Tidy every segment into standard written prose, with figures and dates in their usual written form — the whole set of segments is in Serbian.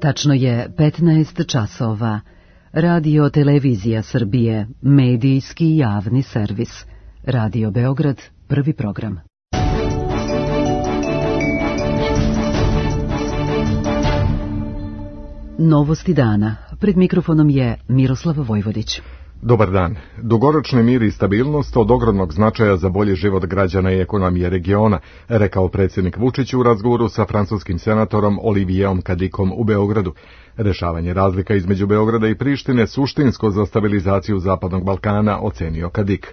Tačno je 15 časova. Radio Televizija Srbije, medijski javni servis. Radio Beograd, prvi program. Novosti dana. Pred mikrofonom je Miroslav Vojvodić. Dobar dan. Dugoročni mir i stabilnost od ogromnog značaja za bolji život građana i ekonomije regiona, rekao predsjednik Vučić u razgovoru sa francuskim senatorom Olivierom Cadiccom u Beogradu. Rešavanje razlika između Beograda i Prištine suštinsko za stabilizaciju Zapadnog Balkana, ocenio Cadic.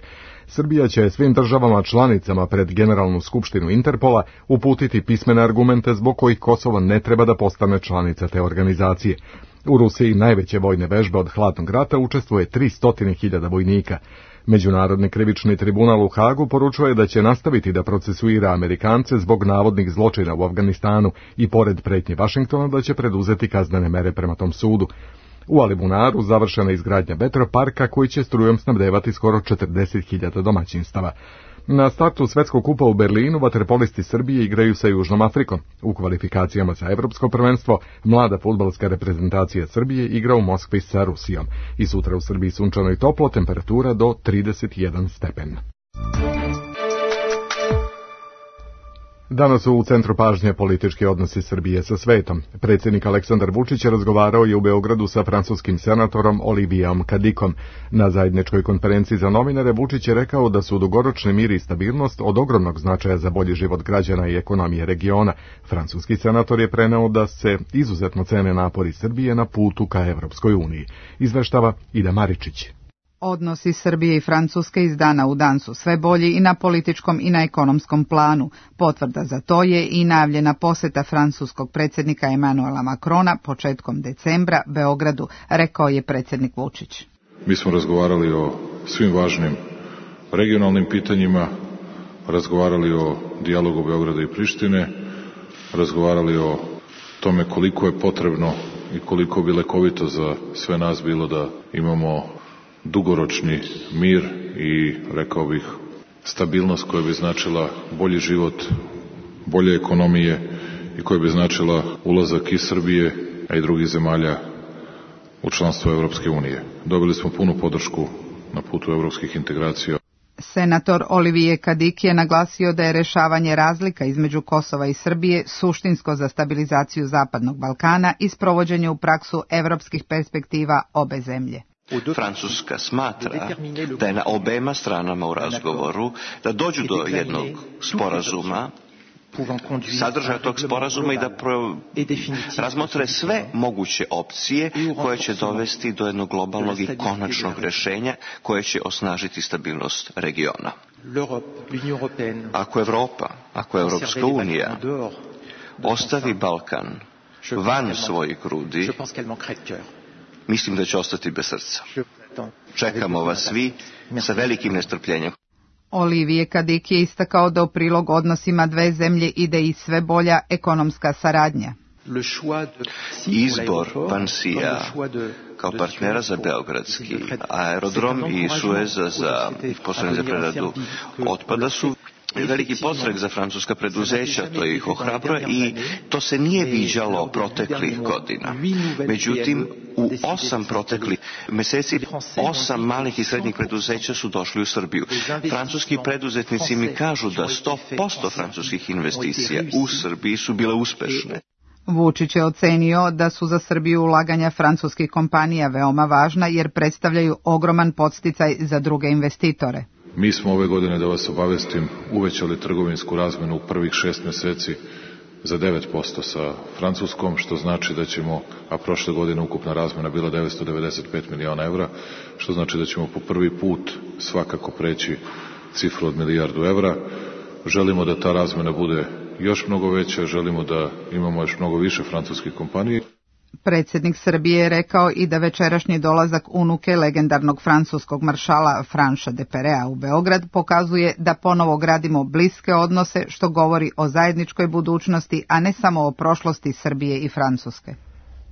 Srbija će svim državama članicama pred Generalnu skupštinu Interpola uputiti pismene argumente zbog kojih Kosovo ne treba da postane članica te organizacije. U Rusiji najveće vojne vežbe od hladnog rata učestvuje 300.000 vojnika. Međunarodni krivični tribunal u Hagu poručuje da će nastaviti da procesuira Amerikance zbog navodnih zločina u Afganistanu i pored pretnje Vašingtona da će preduzeti kaznene mere prema tom sudu. U Alibunaru završena izgradnja vetroparka koji će strujom snabdevati skoro 40.000 domaćinstava. Na startu Svetskog kupa u Berlinu vaterpolisti Srbije igraju sa Južnom Afrikom. U kvalifikacijama za Evropsko prvenstvo mlada fudbalska reprezentacija Srbije igra u Moskvi sa Rusijom. I sutra u Srbiji sunčano i toplo, temperatura do 31 stepen. Danas su u centru pažnje politički odnosi Srbije sa svetom. Predsjednik Aleksandar Vučić razgovarao je u Beogradu sa francuskim senatorom Olivierom Cadiccom. Na zajedničkoj konferenciji za novinare Vučić je rekao da su dugoročni mir i stabilnost od ogromnog značaja za bolji život građana i ekonomije regiona. Francuski senator je preneo da se izuzetno cene napori Srbije na putu ka Evropskoj uniji. Izveštava Ida Maričić. Odnosi Srbije i Francuske iz dana u dan su sve bolji i na političkom i na ekonomskom planu. Potvrda za to je i najavljena posjeta francuskog predsjednika Emmanuela Macrona početkom decembra Beogradu, rekao je predsjednik Vučić. Mi smo razgovarali o svim važnim regionalnim pitanjima, razgovarali o dijalogu Beograda i Prištine, razgovarali o tome koliko je potrebno i koliko bi lekovito za sve nas bilo da imamo dugoročni mir i, rekao bih, stabilnost koja bi značila bolji život, bolje ekonomije i koja bi značila ulazak i Srbije, a i drugih zemalja u članstvo Evropske unije. Dobili smo punu podršku na putu evropskih integracija. Senator Olivier Cadic je naglasio da je rešavanje razlika između Kosova i Srbije suštinsko za stabilizaciju Zapadnog Balkana i sprovođenje u praksu evropskih perspektiva obe zemlje. Francuska smatra da je na obema stranama u razgovoru da dođu do jednog sporazuma, sadržaja tog sporazuma i da razmotre sve moguće opcije koje će dovesti do jednog globalnog i konačnog rešenja koje će osnažiti stabilnost regiona. Ako Evropa, ako Evropska unija ostavi Balkan van svojih grudi, mislim da će ostati bez srca. Čekamo vas svi sa velikim nestrpljenjem. Olivier Cadic je istakao da u prilog odnosima dve zemlje ide i sve bolja ekonomska saradnja. Izbor Vansija kao partnera za beogradski aerodrom i Sueza za postrojenje za preradu otpada su veliki podstrek za francuska preduzeća, to ih ohrabruje i to se nije viđalo proteklih godina. Međutim, u 8 proteklih meseci 8 malih i srednjih preduzeća su došli u Srbiju. Francuski preduzetnici mi kažu da 100% francuskih investicija u Srbiji su bile uspešne. Vučić je ocenio da su za Srbiju ulaganja francuskih kompanija veoma važna jer predstavljaju ogroman podsticaj za druge investitore. Mi smo ove godine, da vas obavestim, uvećali trgovinsku razmenu u prvih 6 meseci za 9% sa Francuskom, što znači da ćemo, a prošle godine ukupna razmena bila 995 miliona evra, što znači da ćemo po prvi put svakako preći cifru od 1 milijardu evra. Želimo da ta razmena bude još mnogo veća, želimo da imamo još mnogo više francuskih kompanija. Predsjednik Srbije je rekao i da večerašnji dolazak unuke legendarnog francuskog maršala Franša de Perea u Beograd pokazuje da ponovo gradimo bliske odnose, što govori o zajedničkoj budućnosti, a ne samo o prošlosti Srbije i Francuske.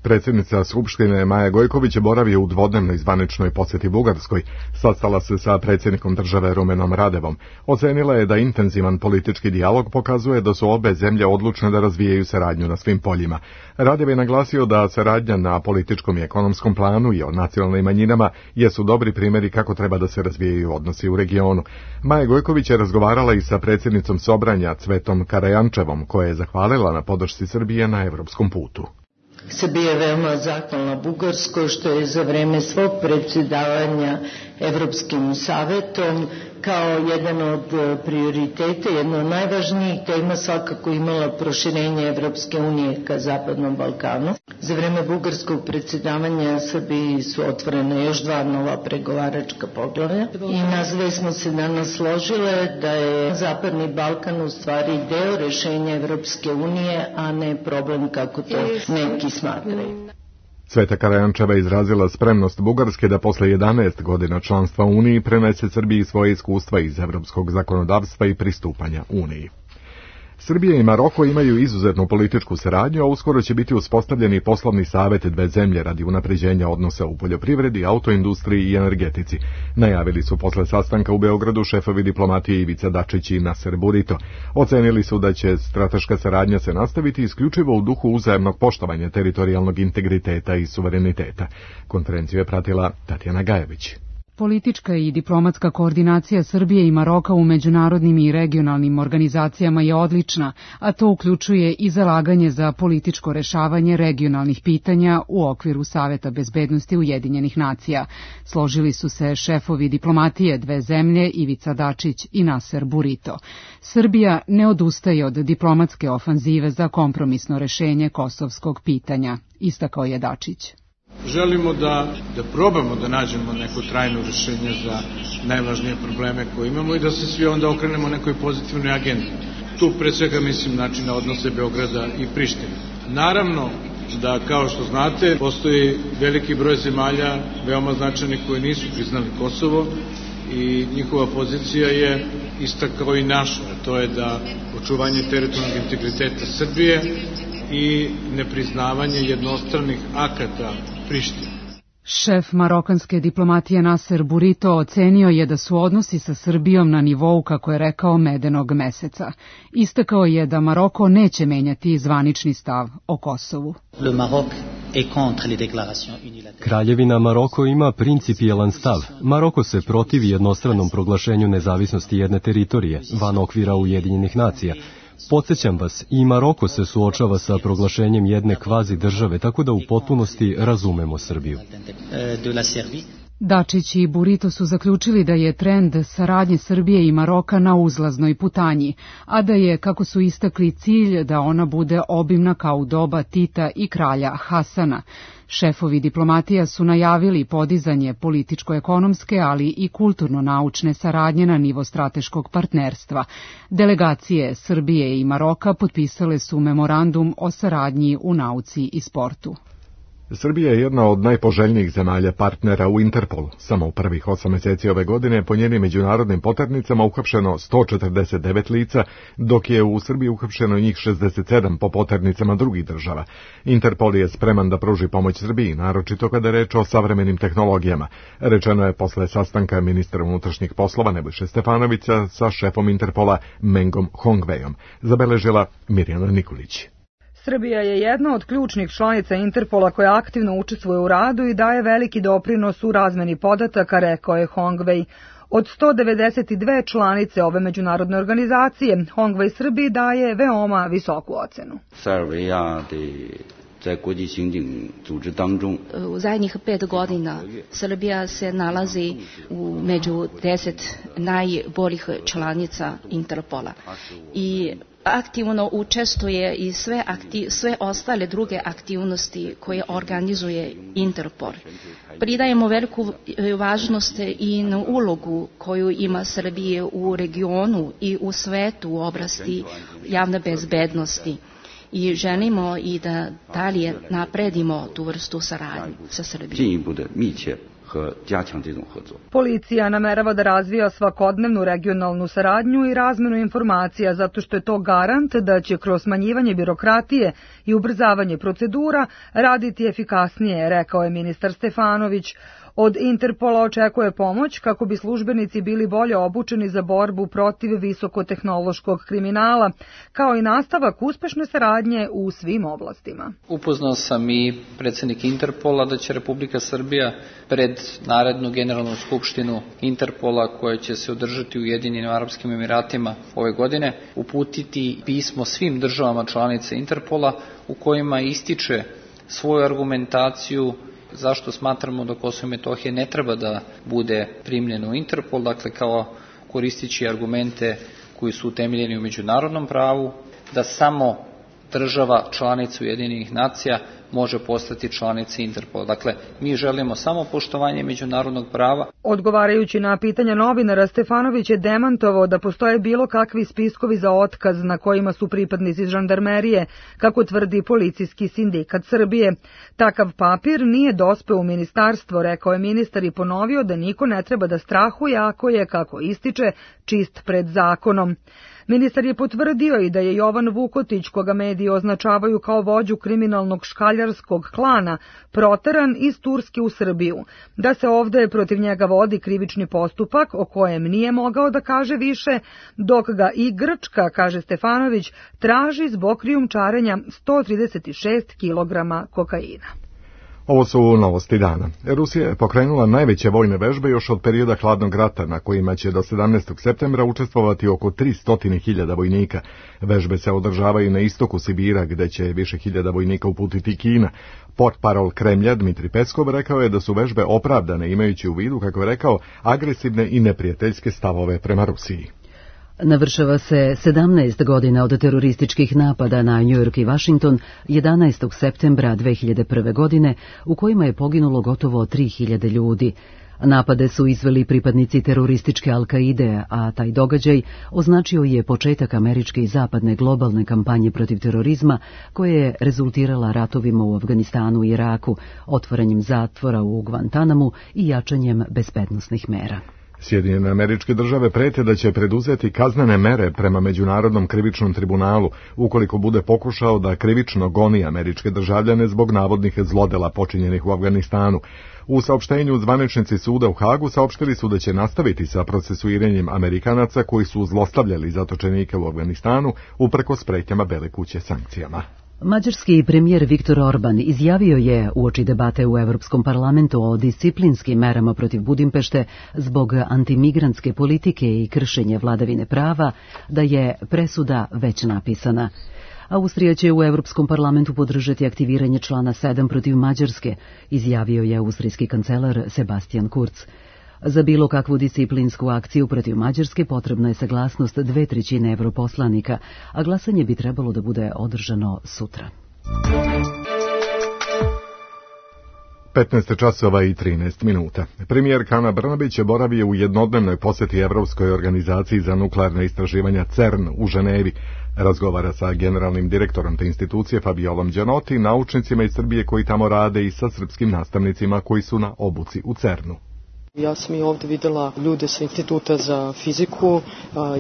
Predsjednica Skupštine Maja Gojković boravi u dvodnevnoj zvaničnoj posjeti Bugarskoj. Sastala se sa predsjednikom države Rumenom Radevom. Ocenila je da intenzivan politički dijalog pokazuje da su obe zemlje odlučne da razvijaju saradnju na svim poljima. Radev je naglasio da saradnja na političkom i ekonomskom planu i o nacionalnim manjinama jesu dobri primjeri kako treba da se razvijaju odnosi u regionu. Maja Gojković je razgovarala i sa predsjednicom Sobranja Cvetom Karajančevom, koja je zahvalila na podršci Srbije na evropskom putu. Srbija je veoma zahvalna Bugarskoj što je za vreme svog predsjedavanja Evropskim savetom kao jedan od prioriteta, jedna od najvažnijih tema svakako imala proširenje Evropske unije ka Zapadnom Balkanu. Za vreme bugarskog predsjedavanja Srbiji su otvorene još 2 nova pregovaračka poglavlja i nas dve smo se danas složile da je Zapadni Balkan u stvari deo rešenja Evropske unije, a ne problem kako to neki smatraju. Cveta Karajančeva izrazila spremnost Bugarske da posle 11 godina članstva Uniji prenese Srbiji svoje iskustva iz evropskog zakonodavstva i pristupanja Uniji. Srbija i Maroko imaju izuzetnu političku saradnju, a uskoro će biti uspostavljeni poslovni savjet dve zemlje radi unapređenja odnosa u poljoprivredi, autoindustriji i energetici. Najavili su posle sastanka u Beogradu šefovi diplomatije Ivica Dačić i Naser Burito. Ocenili su da će strateška saradnja se nastaviti isključivo u duhu uzajamnog poštovanja teritorijalnog integriteta i suvereniteta. Konferenciju je pratila Tatjana Gajević. Politička i diplomatska koordinacija Srbije i Maroka u međunarodnim i regionalnim organizacijama je odlična, a to uključuje i zalaganje za političko rešavanje regionalnih pitanja u okviru Saveta bezbednosti Ujedinjenih nacija. Složili su se šefovi diplomatije dve zemlje Ivica Dačić i Naser Burito. Srbija ne odustaje od diplomatske ofanzive za kompromisno rešenje kosovskog pitanja, istakao je Dačić. Želimo da probamo da nađemo neko trajno rešenje za najvažnije probleme koje imamo i da se svi onda okrenemo nekoj pozitivnoj agendi. Tu pre svega mislim na odnose Beograda i Prištine. Naravno da, kao što znate, postoji veliki broj zemalja veoma značajnih koji nisu priznali Kosovo i njihova pozicija je ista kao i naša, to je da očuvanje teritorijalnog integriteta Srbije i nepriznavanje jednostranih akata Prištine. Šef marokanske diplomatije Naser Burito ocenio je da su odnosi sa Srbijom na nivou, kako je rekao, medenog meseca. Istakao je da Maroko neće menjati zvanični stav o Kosovu. Kraljevina Maroko ima principijelan stav. Maroko se protivi jednostranom proglašenju nezavisnosti jedne teritorije van okvira Ujedinjenih nacija. Podsjećam vas, i Maroko se suočava sa proglašenjem jedne kvazi države, tako da u potpunosti razumemo Srbiju. Dačić i Burito su zaključili da je trend saradnje Srbije i Maroka na uzlaznoj putanji, a da je, kako su istakli, cilj da ona bude obimna kao u doba Tita i kralja Hasana. Šefovi diplomatija su najavili podizanje političko-ekonomske, ali i kulturno-naučne saradnje na nivo strateškog partnerstva. Delegacije Srbije i Maroka potpisale su memorandum o saradnji u nauci i sportu. Srbija je jedna od najpoželjnijih zemalja partnera u Interpolu. Samo u prvih 8 mjeseci ove godine po njenim međunarodnim poternicama uhapšeno 149 lica, dok je u Srbiji uhapšeno njih 67 po poternicama drugih država. Interpol je spreman da pruži pomoć Srbiji, naročito kada je reč o savremenim tehnologijama. Rečeno je posle sastanka ministra unutrašnjih poslova Nebojše Stefanovića sa šefom Interpola Mengom Hongvejom. Zabeležila Mirjana Nikolić. Srbija je jedna od ključnih članica Interpola koja aktivno učestvuje u radu i daje veliki doprinos u razmeni podataka, rekao je Hongvej. Od 192 članice ove međunarodne organizacije, Hongvej Srbiji daje veoma visoku ocenu. U zadnjih 5 godina Srbija se nalazi među 10 najboljih članica Interpola i aktivno učestvuje i sve ostale druge aktivnosti koje organizuje Interpol. Pridajemo veliku važnost i na ulogu koju ima Srbija u regionu i u svetu u oblasti javne bezbednosti. I želimo i da dalje napredimo tu vrstu saradnje sa Srbijom. Policija namerava da razvija svakodnevnu regionalnu saradnju i razmenu informacija zato što je to garant da će kroz smanjivanje birokratije i ubrzavanje procedura raditi efikasnije, rekao je ministar Stefanović. Od Interpola očekuje pomoć kako bi službenici bili bolje obučeni za borbu protiv visokotehnološkog kriminala, kao i nastavak uspešne saradnje u svim oblastima. Upoznao sam i predsjednik Interpola da će Republika Srbija pred narednu generalnu skupštinu Interpola koja će se održati u Ujedinjenim Arapskim Emiratima ove godine uputiti pismo svim državama članica Interpola u kojima ističe svoju argumentaciju zašto smatramo da Kosovo i Metohija ne treba da bude primljeno u Interpol, dakle kao koristići argumente koji su utemeljeni u međunarodnom pravu, da samo država članica Ujedinjenih nacija može postati članica Interpola. Dakle, mi želimo samo poštovanje međunarodnog prava. Odgovarajući na pitanja novinara, Stefanović je demantovao da postoje bilo kakvi spiskovi za otkaz na kojima su pripadnici žandarmerije, kako tvrdi policijski sindikat Srbije. Takav papir nije dospeo u ministarstvo, rekao je ministar i ponovio da niko ne treba da strahuje ako je, kako ističe, čist pred zakonom. Ministar je potvrdio i da je Jovan Vukotić, koga mediji označavaju kao vođu kriminalnog škaljarskog klana, proteran iz Turske u Srbiju, da se ovde protiv njega vodi krivični postupak o kojem nije mogao da kaže više, dok ga i Grčka, kaže Stefanović, traži zbog krijumčarenja 136 kg kokaina. Ovo su novosti dana. Rusija je pokrenula najveće vojne vežbe još od perioda hladnog rata, na kojima će do 17. septembra učestvovati oko 300.000 vojnika. Vežbe se održavaju na istoku Sibira, gde će više hiljada vojnika uputiti Kina. Portparol Kremlja Dmitri Peskov rekao je da su vežbe opravdane, imajući u vidu, kako je rekao, agresivne i neprijateljske stavove prema Rusiji. Navršava se 17 godina od terorističkih napada na New York i Washington 11. septembra 2001. godine, u kojima je poginulo gotovo 3000 ljudi. Napade su izveli pripadnici terorističke Al-Kaide, a taj događaj označio je početak američke i zapadne globalne kampanje protiv terorizma, koja je rezultirala ratovima u Afganistanu i Iraku, otvaranjem zatvora u Guantanamu i jačanjem bezbednosnih mera. Sjedinjene Američke Države prete da će preduzeti kaznene mere prema Međunarodnom krivičnom tribunalu ukoliko bude pokušao da krivično goni američke državljane zbog navodnih zlodela počinjenih u Afganistanu. U saopštenju zvaničnici suda u Hagu saopštili su da će nastaviti sa procesuiranjem Amerikanaca koji su zlostavljali zatočenike u Afganistanu uprkos pretnjama Bele kuće sankcijama. Mađarski premijer Viktor Orban izjavio je uoči debate u Evropskom parlamentu o disciplinskim merama protiv Budimpešte zbog antimigrantske politike i kršenja vladavine prava da je presuda već napisana. Austrija će u Evropskom parlamentu podržati aktiviranje člana 7 protiv Mađarske, izjavio je austrijski kancelar Sebastian Kurz. Za bilo kakvu disciplinsku akciju protiv Mađarske potrebna je saglasnost 2/3 europoslanika, a glasanje bi trebalo da bude održano sutra. 15:13. Premijerka Ana Brnabić boravio u jednodnevnoj posjeti Evropskoj organizaciji za nuklearna istraživanja CERN u Ženevi. Razgovara sa generalnim direktorom te institucije Fabiolom Đanoti, naučnicima iz Srbije koji tamo rade i sa srpskim nastavnicima koji su na obuci u CERN-u. Ja sam i ovdje vidjela ljude sa Instituta za fiziku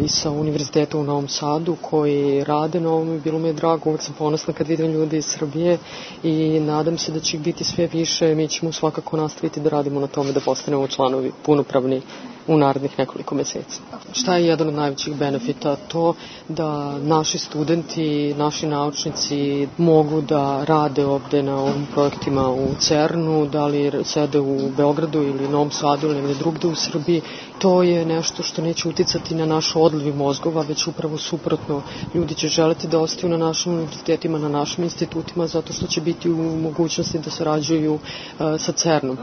i sa Univerziteta u Novom Sadu koji rade na ovom i bilo mi je drago, uvijek sam ponosna kad vidim ljude iz Srbije i nadam se da će ih biti sve više. Mi ćemo svakako nastaviti da radimo na tome da postanemo članovi punopravni u narednih nekoliko mjeseci. Šta je jedan od najvećih benefita? To da naši studenti, naši naučnici mogu da rade ovdje na ovim projektima u CERN-u, da li sede u Beogradu ili Novom Sadu ili negdje drugdje u Srbiji. To je nešto što neće uticati na naš odliv mozgova, već upravo suprotno. Ljudi će želiti da ostaju na našim univerzitetima, na našim institutima, zato što će biti u mogućnosti da sarađuju sa CERN-om.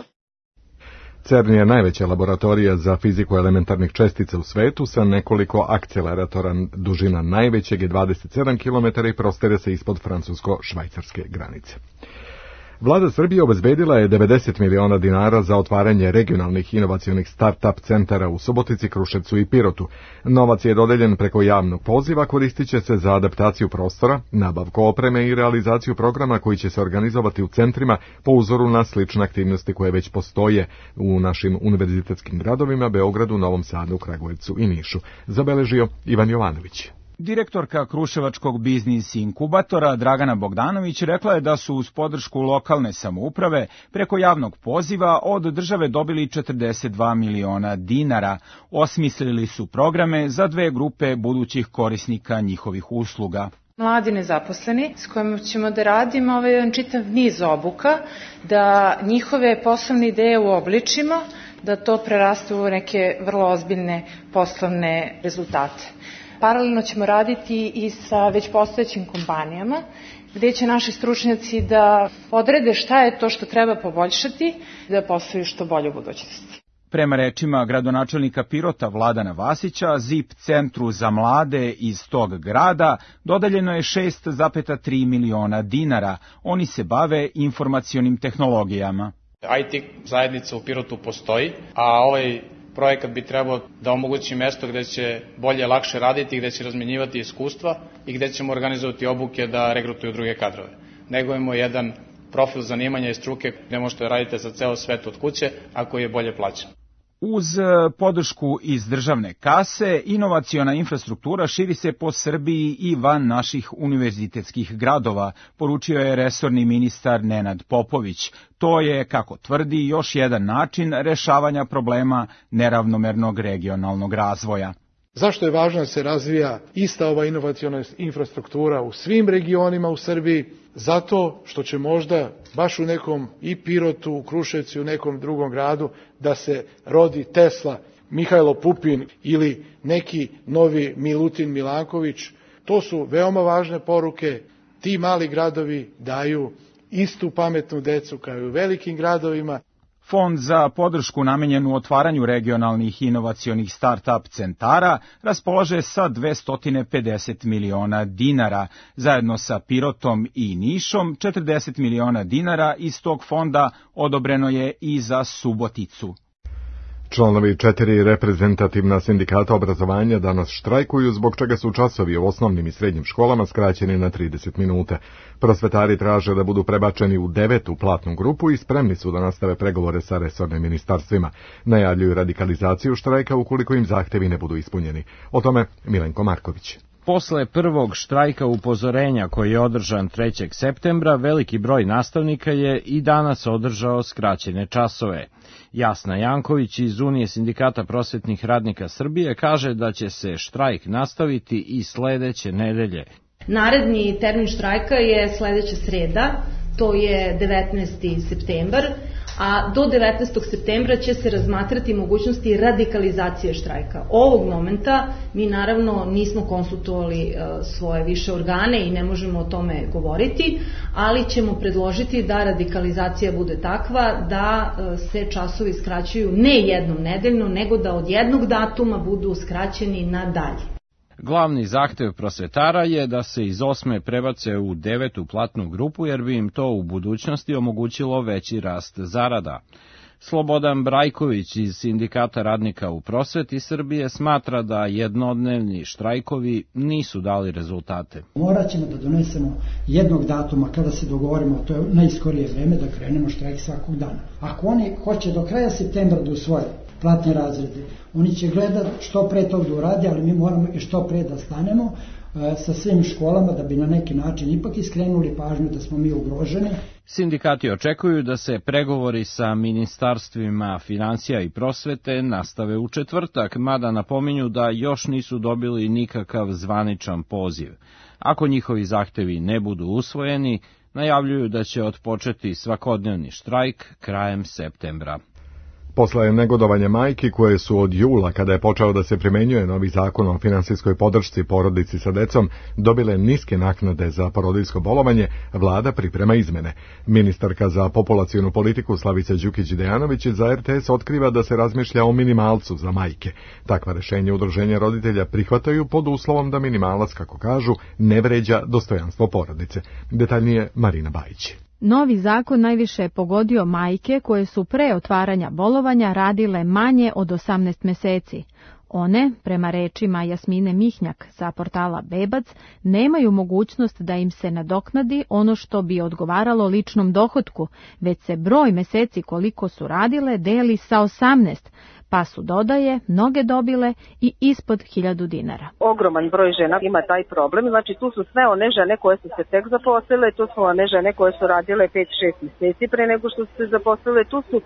CERN je najveća laboratorija za fiziku elementarnih čestica u svetu sa nekoliko akceleratora. Dužina najvećeg je 27 km i prostire se ispod francusko-švajcarske granice. Vlada Srbije obezbedila je 90 miliona dinara za otvaranje regionalnih inovacionih start-up centara u Subotici, Kruševcu i Pirotu. Novac je dodeljen preko javnog poziva, koristit će se za adaptaciju prostora, nabavku opreme i realizaciju programa koji će se organizovati u centrima po uzoru na slične aktivnosti koje već postoje u našim univerzitetskim gradovima Beogradu, Novom Sadu, Kragujevcu i Nišu, zabeležio Ivan Jovanović. Direktorka Kruševačkog biznis inkubatora Dragana Bogdanović rekla je da su uz podršku lokalne samouprave preko javnog poziva od države dobili 42 miliona dinara. Osmislili su programe za 2 grupe budućih korisnika njihovih usluga. Mladi nezaposleni s kojima ćemo da radimo jedan čitav niz obuka, da njihove poslovne ideje uobličimo, da to preraste u neke vrlo ozbiljne poslovne rezultate. Paralelno ćemo raditi i sa već postojećim kompanijama, gde će naši stručnjaci da odrede šta je to što treba poboljšati, da posluju što bolje u budućnosti. Prema rečima gradonačelnika Pirota Vladana Vasića, ZIP centru za mlade iz tog grada dodeljeno je 6,3 miliona dinara. Oni se bave informacionim tehnologijama. IT zajednica u Pirotu postoji, a ovaj projekat bi trebao da omogući mesto gde će bolje, lakše raditi, gde će razmenjivati iskustva i gde ćemo organizovati obuke da regrutuju druge kadrove. Negujemo jedan profil zanimanja i struke gde možete raditi za ceo svet od kuće, a koji je bolje plaćen. Uz podršku iz državne kase, inovaciona infrastruktura širi se po Srbiji i van naših univerzitetskih gradova, poručio je resorni ministar Nenad Popović. To je, kako tvrdi, još jedan način rešavanja problema neravnomernog regionalnog razvoja. Zašto je važno da se razvija ista ova inovaciona infrastruktura u svim regionima u Srbiji? Zato što će možda baš u nekom i Pirotu, u Kruševcu, u nekom drugom gradu da se rodi Tesla, Mihajlo Pupin ili neki novi Milutin Milanković. To su veoma važne poruke. Ti mali gradovi daju istu pametnu decu kao i u velikim gradovima. Fond za podršku namenjenu otvaranju regionalnih inovacionih start-up centara raspolaže sa 250 miliona dinara. Zajedno sa Pirotom i Nišom 40 miliona dinara iz tog fonda odobreno je i za Suboticu. Članovi 4 reprezentativna sindikata obrazovanja danas štrajkuju, zbog čega su časovi u osnovnim i srednjim školama skraćeni na 30 minuta. Prosvetari traže da budu prebačeni u 9. platnu grupu i spremni su da nastave pregovore sa resornim ministarstvima. Najavljuju radikalizaciju štrajka ukoliko im zahtevi ne budu ispunjeni. O tome Milenko Marković. Posle prvog štrajka upozorenja koji je održan 3. septembra, veliki broj nastavnika je i danas održao skraćene časove. Jasna Janković iz Unije sindikata prosvetnih radnika Srbije kaže da će se štrajk nastaviti i sledeće nedelje. Naredni termin štrajka je sledeća sreda, to je 19. septembar, a do 19. septembra će se razmatrati mogućnosti radikalizacije štrajka. Ovog momenta mi naravno nismo konsultovali svoje više organe i ne možemo o tome govoriti, ali ćemo predložiti da radikalizacija bude takva da se časovi skraćuju ne jednom nedeljno, nego da od jednog datuma budu skraćeni na dalje. Glavni zahtev prosvetara je da se iz 8. prebace u 9. platnu grupu, jer bi im to u budućnosti omogućilo veći rast zarada. Slobodan Brajković iz Sindikata radnika u prosveti Srbije smatra da jednodnevni štrajkovi nisu dali rezultate. Morat ćemo da donesemo jednog datuma kada se dogovorimo, to je najskorije vreme da krenemo štrajk svakog dana. Ako oni hoće do kraja septembra da usvoje platne razrede, oni će gledati što pre tog da uradi, ali mi moramo i što pre da stanemo sa svim školama da bi na neki način ipak iskrenuli pažnju da smo mi ugroženi. Sindikati očekuju da se pregovori sa ministarstvima financija i prosvete nastave u četvrtak, mada napominju da još nisu dobili nikakav zvaničan poziv. Ako njihovi zahtevi ne budu usvojeni, najavljuju da će otpočeti svakodnevni štrajk krajem septembra. Posle negodovanja majki koje su od jula, kada je počeo da se primenjuje novi zakon o finansijskoj podršci porodici sa decom, dobile niske naknade za porodiljsko bolovanje, vlada priprema izmene. Ministarka za populacionu politiku Slavica Đukić-Dejanović za RTS otkriva da se razmišlja o minimalcu za majke. Takva rešenja udruženja roditelja prihvataju pod uslovom da minimalac, kako kažu, ne vređa dostojanstvo porodice. Detaljnije Marina Bajić. Novi zakon najviše je pogodio majke koje su pre otvaranja bolovanja radile manje od 18 meseci. One, prema rečima Jasmine Mihnjak sa portala Bebac, nemaju mogućnost da im se nadoknadi ono što bi odgovaralo ličnom dohotku, već se broj meseci koliko su radile deli sa 18, pa su, dodaje, mnoge dobile i ispod 1000 dinara. Ogroman broj žena ima taj problem, znači tu su sve one žene koje su se tek zaposlile, tu su one žene koje su radile 5-6 meseci pre nego što su se zaposlile, tu su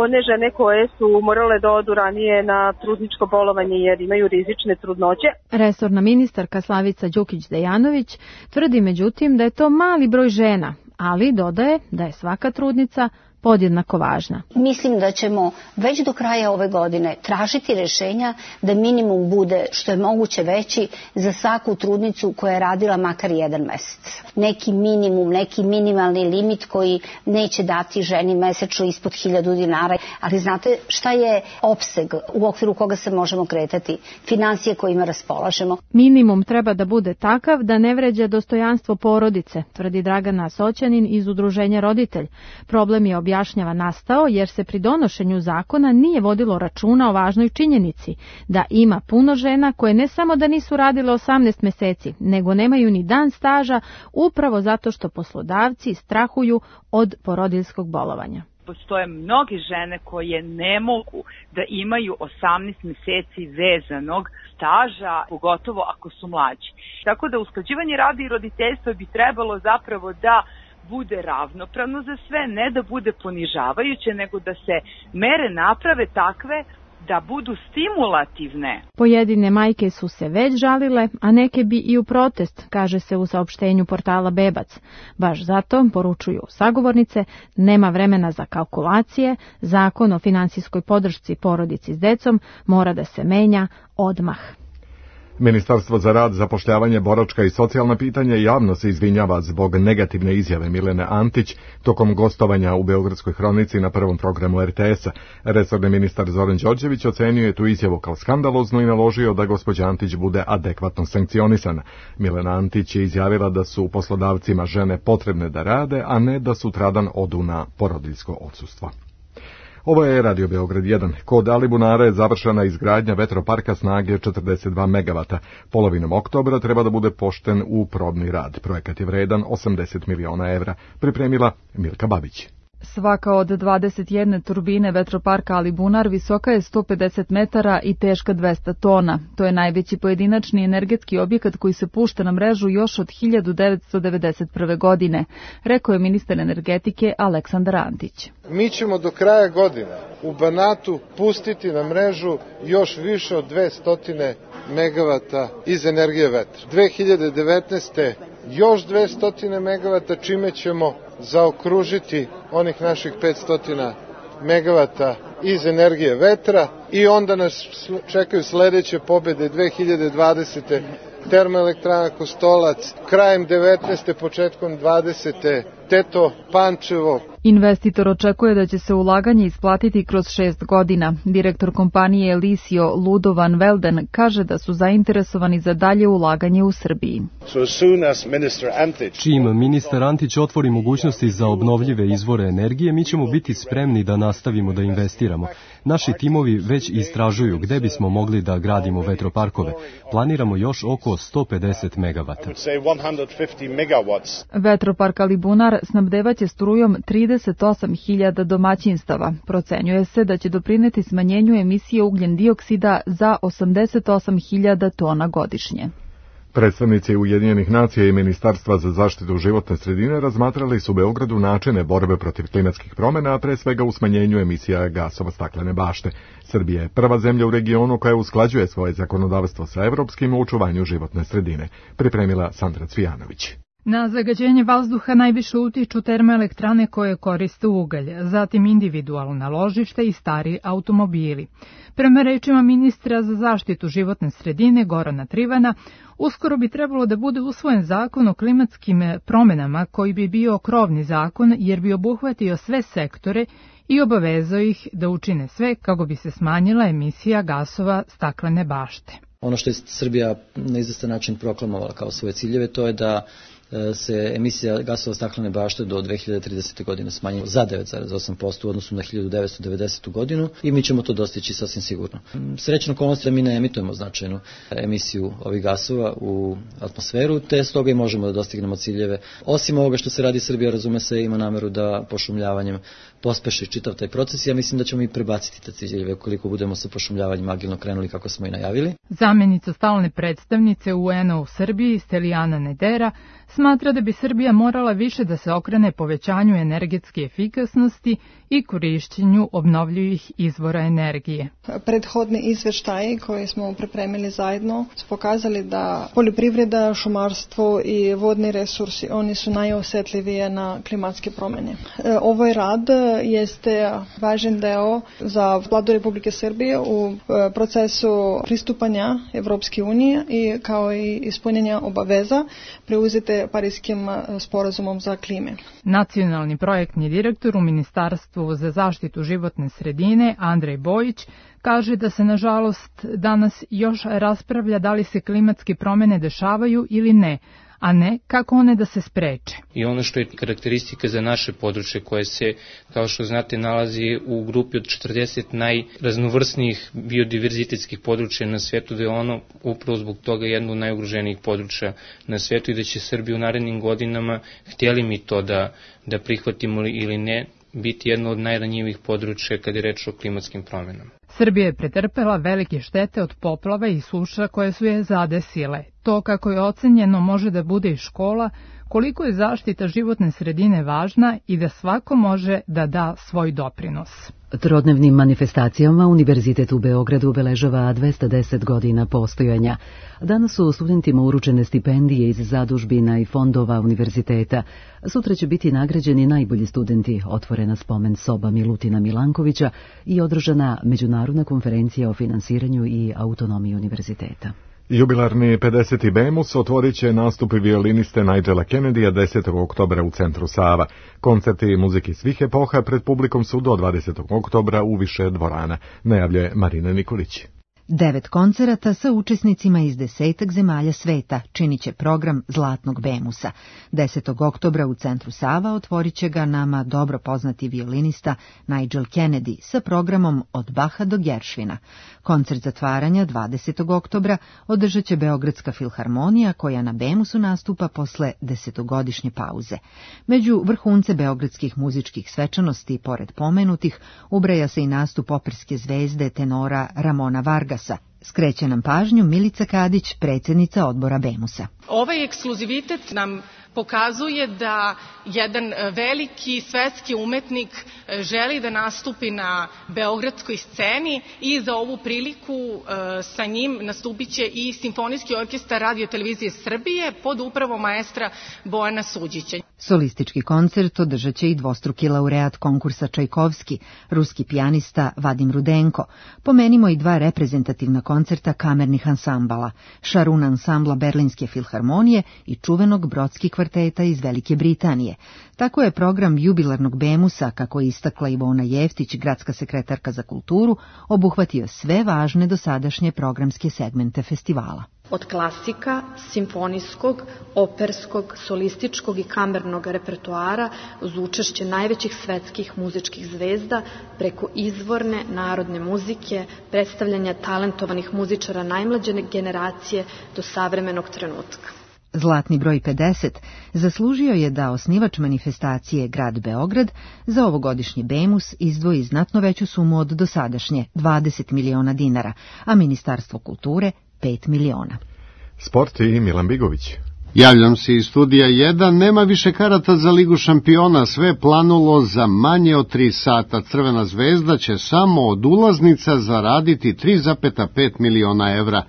one žene koje su morale da odu ranije na trudničko bolovanje jer imaju rizične trudnoće. Resorna ministarka Slavica Đukić-Dejanović tvrdi međutim da je to mali broj žena, ali dodaje da je svaka trudnica podjednako važna. Mislim da ćemo već do kraja ove godine tražiti rješenja da minimum bude što je moguće veći za svaku trudnicu koja je radila makar 1 mesec. Neki minimum, neki minimalni limit koji neće dati ženi mesečno ispod 1000 dinara. Ali znate šta je opseg u okviru koga se možemo kretati? Finansije kojima raspolažemo. Minimum treba da bude takav da ne vređa dostojanstvo porodice, tvrdi Dragana Soćanin iz Udruženja Roditelj. Problem je objašnjava nastao jer se pri donošenju zakona nije vodilo računa o važnoj činjenici da ima puno žena koje ne samo da nisu radile 18 meseci, nego nemaju ni dan staža upravo zato što poslodavci strahuju od porodiljskog bolovanja. Postoje mnoge žene koje ne mogu da imaju 18 meseci vezanog staža, pogotovo ako su mlađi. Tako da usklađivanje rada i roditeljstva bi trebalo zapravo da bude ravnopravno za sve, ne da bude ponižavajuće, nego da se mere naprave takve da budu stimulativne. Pojedine majke su se već žalile, a neke bi i u protest, kaže se u saopštenju portala Bebac. Baš zato, poručuju sagovornice, nema vremena za kalkulacije, zakon o finansijskoj podršci porodici s decom mora da se menja odmah. Ministarstvo za rad, zapošljavanje, boračka i socijalna pitanja javno se izvinjava zbog negativne izjave Milene Antić tokom gostovanja u Beogradskoj hronici na prvom programu RTS-a. Resorni ministar Zoran Đorđević ocenio je tu izjavu kao skandaloznu i naložio da gospođa Antić bude adekvatno sankcionisana. Milena Antić je izjavila da su poslodavcima žene potrebne da rade, a ne da sutradan odu na porodiljsko odsustvo. Ovo je Radio Beograd 1. Kod Alibunara je završena izgradnja vetroparka snage 42 MW. Polovinom oktobra treba da bude pošten u probni rad. Projekat je vredan 80 miliona evra. Pripremila Milka Babić. Svaka od 21 turbine vetroparka Alibunar visoka je 150 metara i teška 200 tona. To je najveći pojedinačni energetski objekat koji se pušta na mrežu još od 1991. godine, rekao je ministar energetike Aleksandar Antić. Mi ćemo do kraja godine u Banatu pustiti na mrežu još više od 200 megavata iz energije vetra. 2019. još 200 megavata, čime ćemo zaokružiti onih naših 500 megavata iz energije vetra i onda nas čekaju sledeće pobede 2020. Termoelektrana Kostolac, krajem 19. početkom 20. Teto, Pančevo. Investitor očekuje da će se ulaganje isplatiti kroz 6 godina. Direktor kompanije Elisio Ludo van Velden kaže da su zainteresovani za dalje ulaganje u Srbiji. Čim ministar Antić otvori mogućnosti za obnovljive izvore energije, mi ćemo biti spremni da nastavimo da investiramo. Naši timovi već istražuju gde bismo mogli da gradimo vetroparkove. Planiramo još oko 150 megavata. Vetropark Alibunar snabdevaće strujom 38.000 domaćinstava. Procenjuje se da će doprineti smanjenju emisije ugljen dioksida za 88.000 tona godišnje. Predstavnici Ujedinjenih nacija i Ministarstva za zaštitu životne sredine razmatrali su u Beogradu načine borbe protiv klimatskih promjena, a pre svega u smanjenju emisija gasova staklene bašte. Srbija je prva zemlja u regionu koja usklađuje svoje zakonodavstvo sa evropskim u očuvanju životne sredine. Pripremila Sandra Cvijanović. Na zagađenje vazduha najviše utiču termoelektrane koje koriste ugalj, zatim individualna ložišta i stari automobili. Prema rečima ministra za zaštitu životne sredine Gorana Trivana, uskoro bi trebalo da bude usvojen zakon o klimatskim promjenama koji bi bio krovni zakon jer bi obuhvatio sve sektore i obavezao ih da učine sve kako bi se smanjila emisija gasova staklene bašte. Ono što je Srbija na izvestan način proklamovala kao svoje ciljeve, to je da se emisija gasova staklene bašte do 2030. godine smanjila za 9,8% u odnosu na 1990. godinu i mi ćemo to dostići sasvim sigurno. Srećna okolnost je da mi ne emitujemo značajnu emisiju ovih gasova u atmosferu, te stoga i možemo da dostignemo ciljeve. Osim ovoga što se radi, Srbija, razume se, ima nameru da pošumljavanjem pospeši čitav taj proces i ja mislim da ćemo i prebaciti te ciljeve ukoliko budemo sa pošumljavanjem agilno krenuli kako smo i najavili. Zamjenica stalne predstavnice UN-a u Srbiji, Stelijana Nedera, smatra da bi Srbija morala više da se okrene povećanju energetske efikasnosti i korišćenju obnovljivih izvora energije. Prethodni izveštaji koje smo pripremili zajedno su pokazali da poljoprivreda, šumarstvo i vodni resursi, oni su najosetljivije na klimatske promjene. Ovaj rad jeste važan deo za Vladu Republike Srbije u procesu pristupanja Evropske unije i kao i ispunjenja obaveza preuzete Parijskim sporazumom za klime. Nacionalni projektni direktor u Ministarstvu za zaštitu životne sredine, Andrej Bojić, kaže da se nažalost danas još raspravlja da li se klimatske promjene dešavaju ili ne, a ne kako one da se spreče. I ono što je karakteristika za naše područje koje se, kao što znate, nalazi u grupi od 40 najraznovrsnijih biodiverzitetskih područja na svetu, da je ono upravo zbog toga jedno od najugroženijih područja na svetu i da će Srbija u narednim godinama, htjeli mi to da prihvatimo ili ne, biti jedno od najranjivih područja kada je reč o klimatskim promjenama. Srbija je pretrpela velike štete od poplava i suša koje su je zadesile. To, kako je ocenjeno, može da bude i škola, koliko je zaštita životne sredine važna i da svako može da da svoj doprinos. Trodnevnim manifestacijama Univerzitet u Beogradu obeležava 210 godina postojanja. Danas su studentima uručene stipendije iz zadužbina i fondova univerziteta. Sutra će biti nagrađeni najbolji studenti, otvorena spomen soba Milutina Milankovića i održana međunarodna konferencija o finansiranju i autonomiji univerziteta. Jubilarni 50. Bemus otvorit će nastupi violiniste Nigela Kennedya 10. oktobra u centru Sava. Koncerti muzike svih epoha pred publikom su do 20. oktobra u više dvorana, najavljuje Marina Nikolić. 9 koncerata sa učesnicima iz 10 zemalja sveta činit će program Zlatnog Bemusa. 10. oktobra u centru Sava otvorit će ga nama dobro poznati violinista Nigel Kennedy sa programom Od Baha do Geršvina. Koncert zatvaranja 20. oktobra održat će Beogradska filharmonija koja na Bemusu nastupa posle 10-godišnje pauze. Među vrhunce beogradskih muzičkih svečanosti, pored pomenutih, ubraja se i nastup operske zvezde tenora Ramona Vargasa. Skreće nam pažnju Milica Kadić, predsjednica odbora Bemusa. Ovaj ekskluzivitet nam pokazuje da jedan veliki svetski umetnik želi da nastupi na beogradskoj sceni i za ovu priliku sa njim nastupit će i Simfonijski orkestar Radio televizije Srbije pod upravom maestra Bojana Suđića. Solistički koncert održat će i dvostruki laureat konkursa Čajkovski, ruski pijanista Vadim Rudenko. Pomenimo i 2 reprezentativna koncerta kamernih ansambala, Šarun ansambla Berlinske filharmonije i čuvenog Brodski kvarteta iz Velike Britanije. Tako je program jubilarnog Bemusa, kako je istakla Ivona Jeftić, gradska sekretarka za kulturu, obuhvatio sve važne dosadašnje programske segmente festivala. Od klasika, simfonijskog, operskog, solističkog i kamernog repertoara uz učešće najvećih svetskih muzičkih zvezda preko izvorne narodne muzike, predstavljanja talentovanih muzičara najmlađe generacije do savremenog trenutka. Zlatni broj 50 zaslužio je da osnivač manifestacije Grad Beograd za ovogodišnji Bemus izdvoji znatno veću sumu od dosadašnje 20 miliona dinara, a Ministarstvo kulture 5 miliona. Sport i Milan Bigović. Javljam se iz studija 1, nema više karata za Ligu šampiona, sve planulo za manje od 3 sata. Crvena zvezda će samo od ulaznica zaraditi 3,5 miliona evra.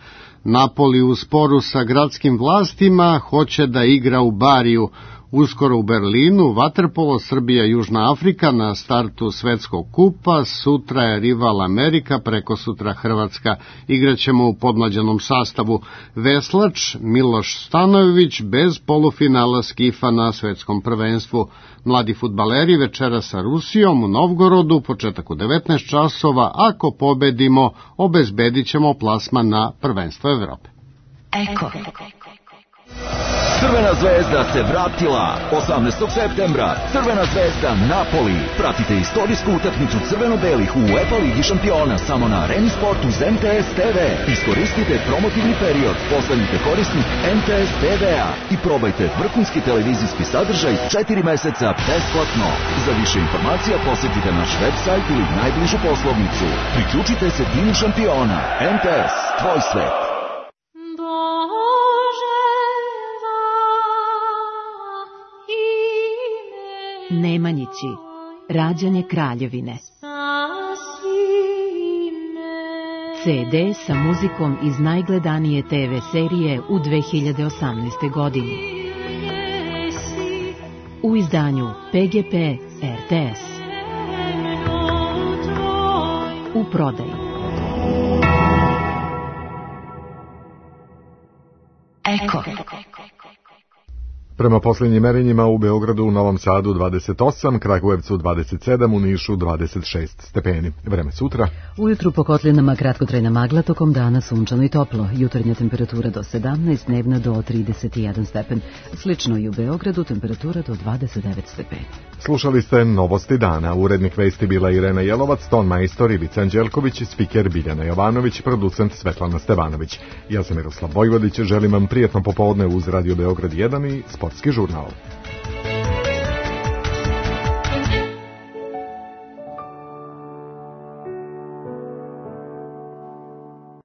Napoli u sporu sa gradskim vlastima hoće da igra u Bariju. Uskoro u Berlinu, vaterpolo Srbija-Južna Afrika na startu svetskog kupa, sutra je rival Amerika, preko sutra Hrvatska. Igraćemo u podmlađenom sastavu. Veslač Miloš Stanojević bez polufinala skifa na svetskom prvenstvu. Mladi fudbaleri večera sa Rusijom u Novgorodu, početak u 19 časova. Ako pobedimo, obezbedit ćemo plasman na prvenstvo Evrope. Eko. Crvena zvezda se vratila. 18. septembra Crvena zvezda Napoli. Pratite istorijsku utakmicu crveno-belih u UEFA Ligi šampiona samo na Areni Sport uz MTS TV. Iskoristite promotivni period, postanite korisnik MTS TV-a i probajte vrhunski televizijski sadržaj 4 meseca besplatno. Za više informacija posjetite naš website ili najbližu poslovnicu. Priključite se timu šampiona. MTS, tvoj svet. Nemanjići, rađanje kraljevine. CD sa muzikom iz najgledanije TV serije u 2018. godini. U izdanju PGP RTS. U prodaju. Eko. Prema posljednjim merenjima u Beogradu, u Novom Sadu 28, Kragujevcu 27, u Nišu 26 stepeni. Vreme sutra. Ujutru po kotlinama kratkotrajna magla, tokom dana sunčano i toplo. Jutarnja temperatura do 17, dnevna do 31 stepen. Slično i u Beogradu, temperatura do 29 stepeni. Slušali ste Novosti dana. Urednik vesti bila Irena Jelovac, ton majstor Ivica Anđelković, spiker Biljana Jovanović, producent Svetlana Stevanović. Ja sam Miroslav Vojvodić, želim vam prijatno popodne uz Radio Beograd 1 i Sportski žurnal.